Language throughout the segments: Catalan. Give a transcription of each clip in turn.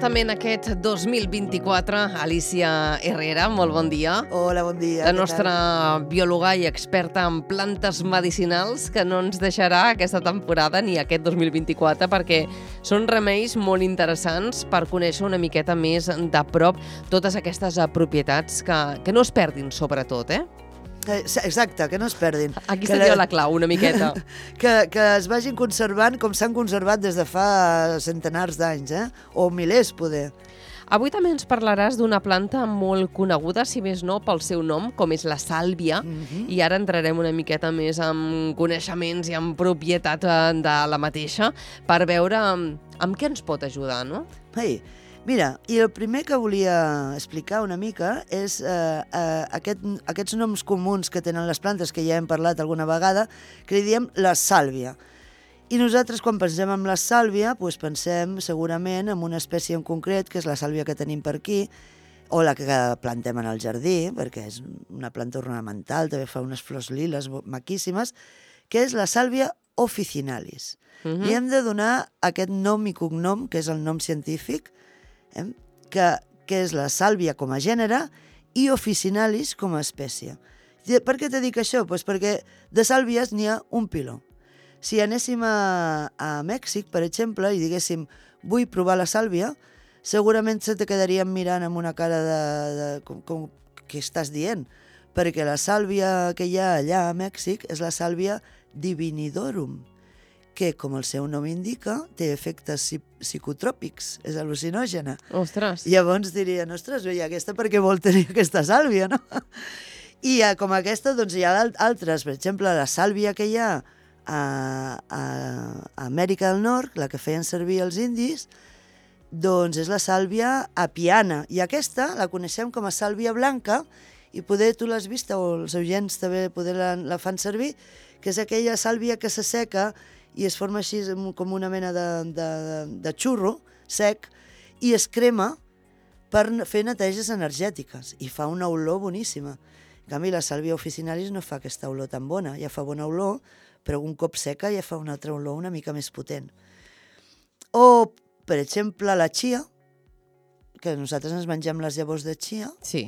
justament aquest 2024. Alicia Herrera, molt bon dia. Hola, bon dia. La nostra biòloga i experta en plantes medicinals, que no ens deixarà aquesta temporada ni aquest 2024, perquè són remeis molt interessants per conèixer una miqueta més de prop totes aquestes propietats que no es perdin, sobretot, Exacte, que no es perdin. Aquí seria la clau, una miqueta. Que es vagin conservant com s'han conservat des de fa centenars d'anys, o milers, poder. Avui també ens parlaràs d'una planta molt coneguda, si més no, pel seu nom, com és la sàlvia, i ara entrarem una miqueta més en coneixements i en propietat de la mateixa per veure amb què ens pot ajudar, no? Mira, i el primer que volia explicar una mica és aquests noms comuns que tenen les plantes, que ja hem parlat alguna vegada, que li diem la sàlvia. I nosaltres, quan pensem en la sàlvia, doncs pensem segurament en una espècie en concret, que és la sàlvia que tenim per aquí, o la que plantem en el jardí, perquè és una planta ornamental, també fa unes flors liles maquíssimes, que és la sàlvia officinalis. Li hem de donar aquest nom i cognom, que és el nom científic, que és la sàlvia com a gènere i officinalis com a espècie. Per què te dic això? Pues perquè de sàlvies n'hi ha un piló. Si anéssim a Mèxic, per exemple, i diguéssim vull provar la sàlvia, segurament se te quedarien mirant amb una cara com què estàs dient? Perquè la sàlvia que hi ha allà a Mèxic és la sàlvia divinidorum, que, com el seu nom indica, té efectes psicotròpics, és al·lucinògena. Ostres! Llavors dirien, ostres, i aquesta per què vol tenir aquesta sàlvia, no? I com aquesta, doncs hi ha altres, per exemple, la sàlvia que hi ha a Amèrica del Nord, la que feien servir els indis, doncs és la sàlvia apiana, i aquesta la coneixem com a sàlvia blanca, i poder tu l'has vista, o els oients també poder la fan servir, que és aquella sàlvia que s'asseca i es forma així com una mena de xurro sec i es crema per fer neteges energètiques i fa una olor boníssima. En canvi, la sàlvia officinalis no fa aquesta olor tan bona, ja fa bona olor, però un cop seca ja fa una altra olor una mica més potent. O, per exemple, la chia, que nosaltres ens mengem les llavors de chia. Sí?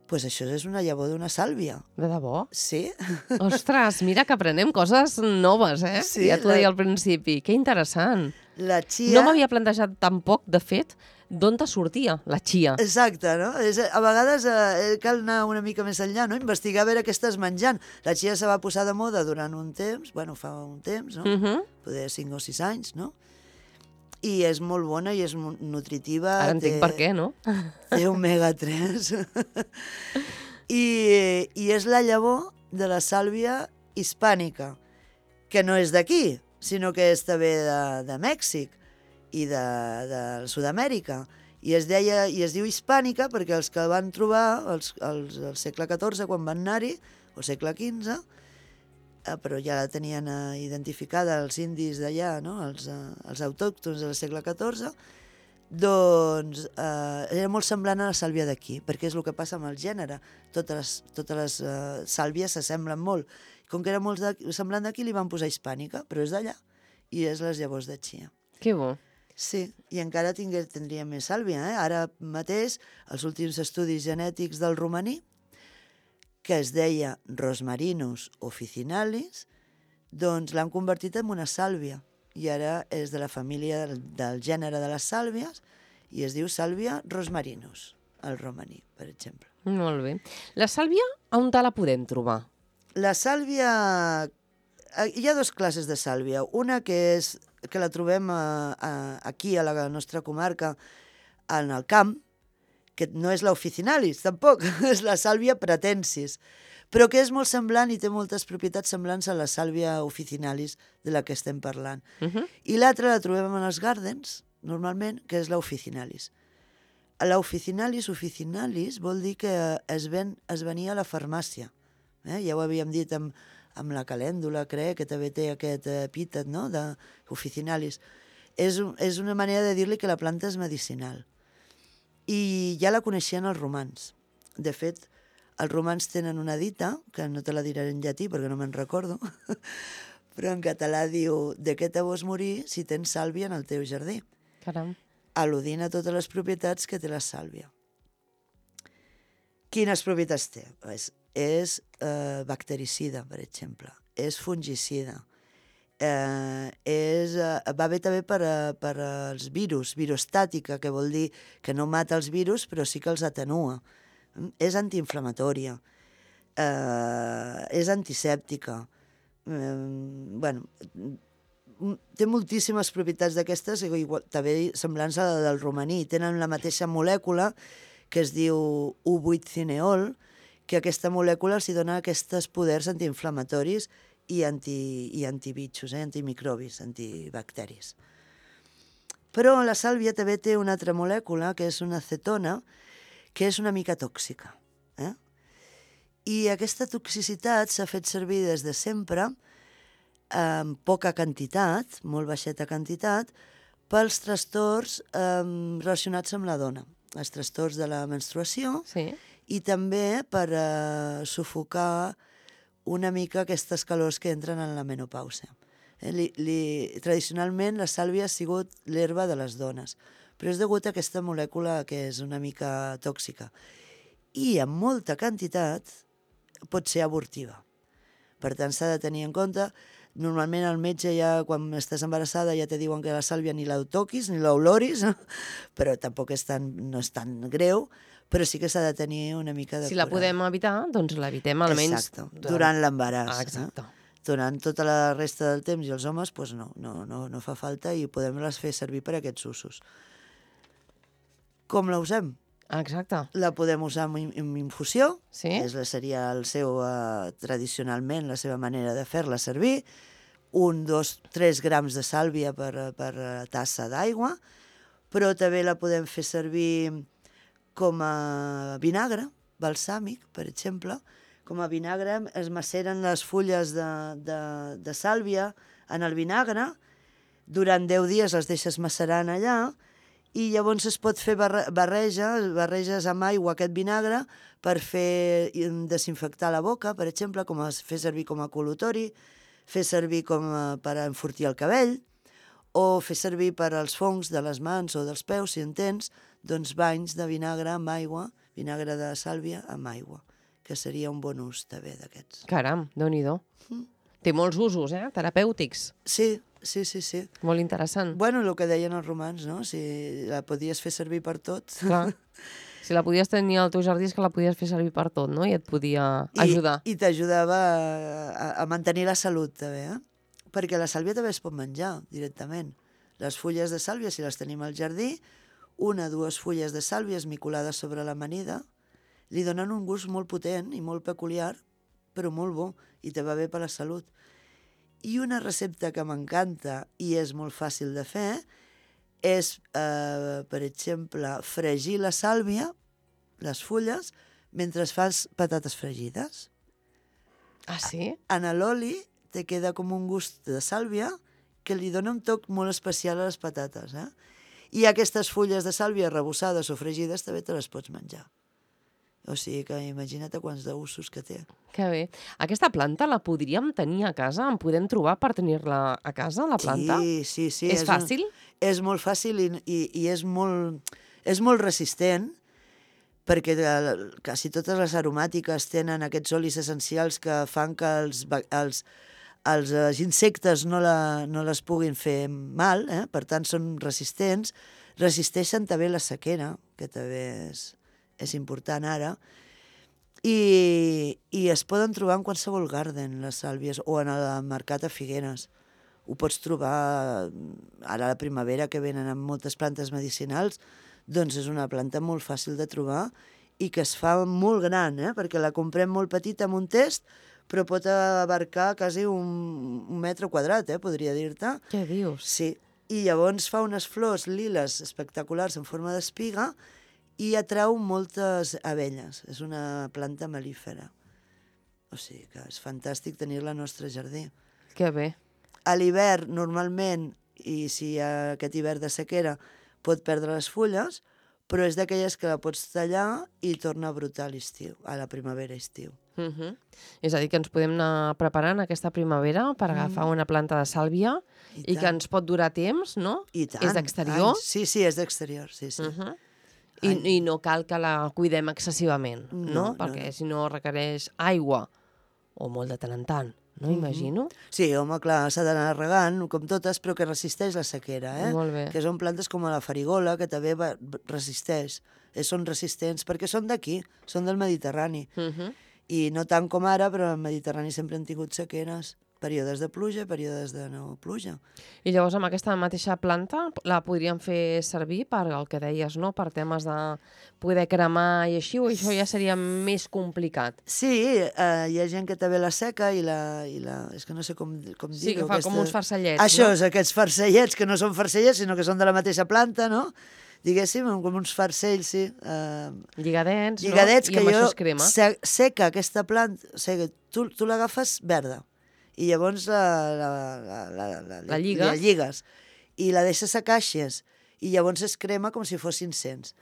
Doncs això és una llavor d'una sàlvia. De debò? Sí. Ostres, mira que aprenem coses noves, Sí, ja t'ho deia al principi. Que interessant. La chia... No m'havia plantejat tampoc, de fet, d'on te sortia la chia. Exacte, no? A vegades cal anar una mica més enllà, no? Investigar a veure què estàs menjant. La chia se va posar de moda durant un temps, fa un temps, no? Poder 5 o 6 anys, no? I és molt bona i és nutritiva. Ara entenc per què, no? Té omega-3. I és la llavor de la sàlvia hispànica, que no és d'aquí, sinó que és també de Mèxic i de Sud-amèrica. I es diu hispànica perquè els que van trobar al segle XIV, quan van anar-hi, o segle XV, però ja la tenien identificada els indis d'allà, no? Els autòctons del segle XIV, doncs era molt semblant a la sàlvia d'aquí, perquè és el que passa amb el gènere. Totes les sàlvies s'assemblen molt. Com que era molt semblant d'aquí, li van posar hispànica, però és d'allà, i és les llavors de chia. Que bo. Sí, i encara tindria més sàlvia. Ara mateix, els últims estudis genètics del romaní, que es deia Rosmarinus officinalis, doncs l'han convertit en una sàlvia. I ara és de la família del gènere de les sàlvies i es diu sàlvia rosmarinus, el romaní, per exemple. Molt bé. La sàlvia, on te la podem trobar? La sàlvia... Hi ha 2 classes de sàlvia. Una que la trobem aquí, a la nostra comarca, en el camp, que no és la officinalis, tampoc, és la sàlvia pratensis, però que és molt semblant i té moltes propietats semblants a la sàlvia officinalis de la que estem parlant. I l'altra la trobem en els gardens, normalment, que és la officinalis. La officinalis vol dir que es venia a la farmàcia. Ja ho havíem dit amb la calèndula, crec, que també té aquest epítet, no?, d'officinalis. És una manera de dir-li que la planta és medicinal. I ja la coneixien els romans. De fet, els romans tenen una dita, que no te la diré en llatí perquè no me'n recordo, però en català diu: de què te vols morir si tens sàlvia en el teu jardí? Caram. al·ludint a totes les propietats que té la sàlvia. Quines propietats té? És bactericida, per exemple, és fungicida, va bé també per als virus, virostàtica, que vol dir que no mata els virus, però sí que els atenua. És antiinflamatòria, és antisèptica. Té moltíssimes propietats d'aquestes, també semblants a la del romaní. Tenen la mateixa molècula, que es diu U8-cineol, que aquesta molècula els dona aquests poders antiinflamatoris i antibitxos, antimicrobis, antibacteris. Però la sàlvia també té una altra molècula, que és una acetona, que és una mica tòxica. I aquesta toxicitat s'ha fet servir des de sempre, en poca quantitat, molt baixeta quantitat, pels trastorns relacionats amb la dona, els trastorns de la menstruació, Sí. i també per sufocar una mica aquestes calors que entren en la menopàusia. Tradicionalment la sàlvia ha sigut l'herba de les dones, però és degut a aquesta molècula que és una mica tòxica. I en molta quantitat pot ser abortiva. Per tant, s'ha de tenir en compte. Normalment el metge ja, quan estàs embarassada, ja te diuen que la sàlvia ni la toquis, ni l'oloris, però tampoc no és tan greu, però sí que s'ha de tenir una mica de Si la podem evitar, doncs l'evitem almenys... Exacte, durant l'embaràs. Exacte. Durant tota la resta del temps i els homes, doncs no fa falta i podem les fer servir per a aquests usos. Com la usem? Exacte. La podem usar en infusió, Sí. seria tradicionalment la seva manera de fer-la servir, 1, 2, 3 grams de sàlvia per tassa d'aigua, però també la podem fer servir com a vinagre balsàmic, per exemple. Com a vinagre es maceren les fulles de sàlvia en el vinagre, durant 10 dies les deixes macerant allà, i llavors es pot fer barreges amb aigua aquest vinagre per fer desinfectar la boca, per exemple, fer servir com a col·lutori, fer servir per enfortir el cabell, o fer servir per als fongs de les mans o dels peus, si en tens, doncs banys de vinagre amb aigua, vinagre de sàlvia amb aigua, que seria un bon ús també d'aquests. Caram, Déu-n'hi-do. Té molts usos, terapèutics. Sí. Molt interessant. Bueno, el que deien els romans, no? Si la podies fer servir per tot. Clar. Si la podies tenir al teu jardí és que la podies fer servir per tot, no? I et podia ajudar. I t'ajudava a mantenir la salut, també, Perquè la sàlvia també es pot menjar directament. Les fulles de sàlvia, si les tenim al jardí, 1 o 2 fulles de sàlvia esmicolades sobre l'amanida, li donen un gust molt potent i molt peculiar, però molt bo, i te va bé per la salut. I una recepta que m'encanta i és molt fàcil de fer és, per exemple, fregir la sàlvia, les fulles, mentre fas patates fregides. Ah, sí? En l'oli te queda com un gust de sàlvia que li dona un toc molt especial a les patates. I aquestes fulles de sàlvia arrebossades o fregides també te les pots menjar. O sigui que imagina't quants d'usos que té. Que bé. Aquesta planta la podríem tenir a casa? En podem trobar per tenir-la a casa, la planta? Sí. És fàcil? És molt fàcil i és molt resistent, perquè quasi totes les aromàtiques tenen aquests olis essencials que fan que els insectes no les puguin fer mal, per tant són resistents. Resisteixen també la sequera, que també és important ara, i es poden trobar en qualsevol garden, les sàlvies, o en el mercat a Figueres. Ho pots trobar ara a la primavera, que venen amb moltes plantes medicinals, doncs és una planta molt fàcil de trobar i que es fa molt gran, perquè la comprem molt petita amb un test, però pot abarcar quasi un metre quadrat, podria dir-te. Què dius? Sí, i llavors fa unes flors liles espectaculars en forma d'espiga i atrau moltes abelles. És una planta mel·lífera. O sigui que és fantàstic tenir-la al nostre jardí. Que bé. A l'hivern, normalment, i si hi ha aquest hivern de sequera, pot perdre les fulles, però és d'aquelles que la pots tallar i torna a brotar a l'estiu, a la primavera-estiu. És a dir, que ens podem anar preparant aquesta primavera per agafar una planta de sàlvia i que ens pot durar temps, no? I tant. És d'exterior? Sí, és d'exterior, sí. I no cal que la cuidem excessivament, no? Perquè si no requereix aigua o molt de tant en tant, no? Imagino. Sí, home, clar, s'ha d'anar regant, com totes, però que resisteix la sequera, Molt bé. Que són plantes com la farigola, que també resisteix. Són resistents, perquè són d'aquí, són del Mediterrani. I no tant com ara, però al Mediterrani sempre han tingut sequeres, períodes de pluja, períodes de no pluja. I llavors amb aquesta mateixa planta la podríem fer servir per el que deies, no? Per temes de poder cremar i així, o això ja seria més complicat? Sí, hi ha gent que també la seca i és que no sé com dir-ho. Sí, que fa com uns farcellets, Això no? és, aquests farcellets, que no són farcellets, sinó que són de la mateixa planta, no? Diguéssim, com uns farcells, sí. Lligadets, no? Lligadets, I que amb això jo es crema. seca aquesta planta, o sigui, tu l'agafes verda i llavors la lligues i la deixes a caixes i llavors es crema com si fos incens.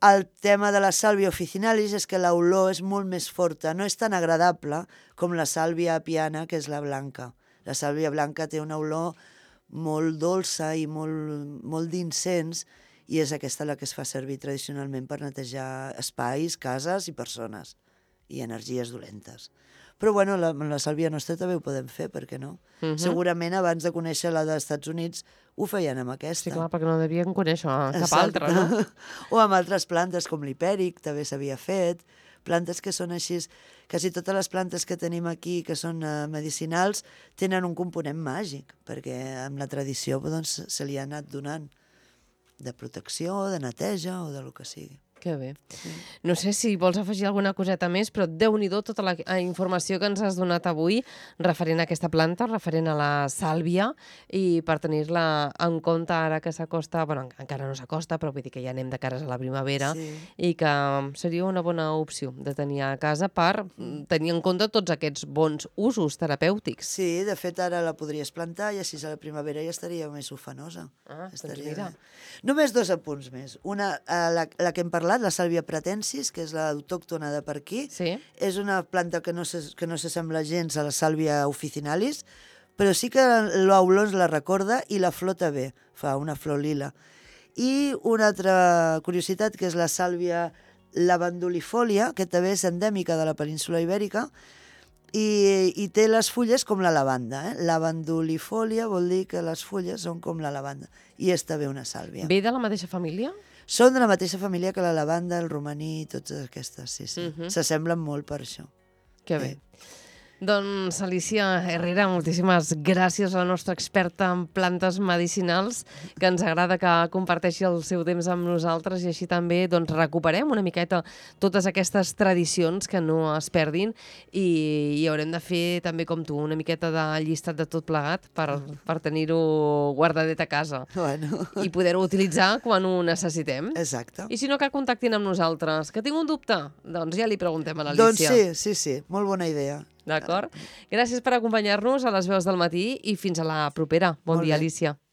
El tema de la sàlvia officinalis és que l'olor és molt més forta, no és tan agradable com la sàlvia apiana, que és la blanca. La sàlvia blanca té una olor molt dolça i molt d'incens, i és aquesta la que es fa servir tradicionalment per netejar espais, cases i persones, i energies dolentes. Però bueno, la sàlvia nostra també ho podem fer, per què no? Segurament abans de conèixer la dels Estats Units ho feien amb aquesta. Sí, clar, perquè no devien conèixer cap altra, no? O amb altres plantes, com l'hipèric, també s'havia fet. Plantes que són així... Quasi totes les plantes que tenim aquí, que són medicinals, tenen un component màgic, perquè amb la tradició doncs, se li ha anat donant de protecció, de neteja o de lo que sigui. Que bé. No sé si vols afegir alguna coseta més, però Déu-n'hi-do tota la informació que ens has donat avui referent a aquesta planta, referent a la sàlvia, i per tenir-la en compte ara que s'acosta, bueno, encara no s'acosta, però vull dir que ja anem de cares a la primavera, i que seria una bona opció de tenir a casa per tenir en compte tots aquests bons usos terapèutics. Sí, de fet ara la podries plantar i així a la primavera ja estaria més ufanosa. Doncs mira. Només 2 apunts més. Una, la que hem parlat, la sàlvia pratensis, que és l'autòctona de per aquí, és una planta que no s'assembla gens a la sàlvia officinalis, però sí que l'olor la recorda i la flor també, fa una flor lila. I una altra curiositat, que és la sàlvia lavandulifolia, que també és endèmica de la península Ibèrica, i té les fulles com la lavanda. Lavandulifolia vol dir que les fulles són com la lavanda, i és també una sàlvia. Ve de la mateixa família? Són de la mateixa família que la lavanda, el romaní, totes aquestes, sí. S'assemblen molt per això. Que bé. Doncs, Alicia Herrera, moltíssimes gràcies a la nostra experta en plantes medicinals, que ens agrada que comparteixi el seu temps amb nosaltres i així també recuperem una miqueta totes aquestes tradicions que no es perdin i haurem de fer també com tu una miqueta de llistat de tot plegat per tenir-ho guardadet a casa i poder-ho utilitzar quan ho necessitem. Exacte. I si no, que contactin amb nosaltres. Que tinc un dubte? Doncs ja li preguntem a l'Alicia. Doncs sí, molt bona idea. D'acord? Gràcies per acompanyar-nos a les veus del matí i fins a la propera. Bon dia, Alicia.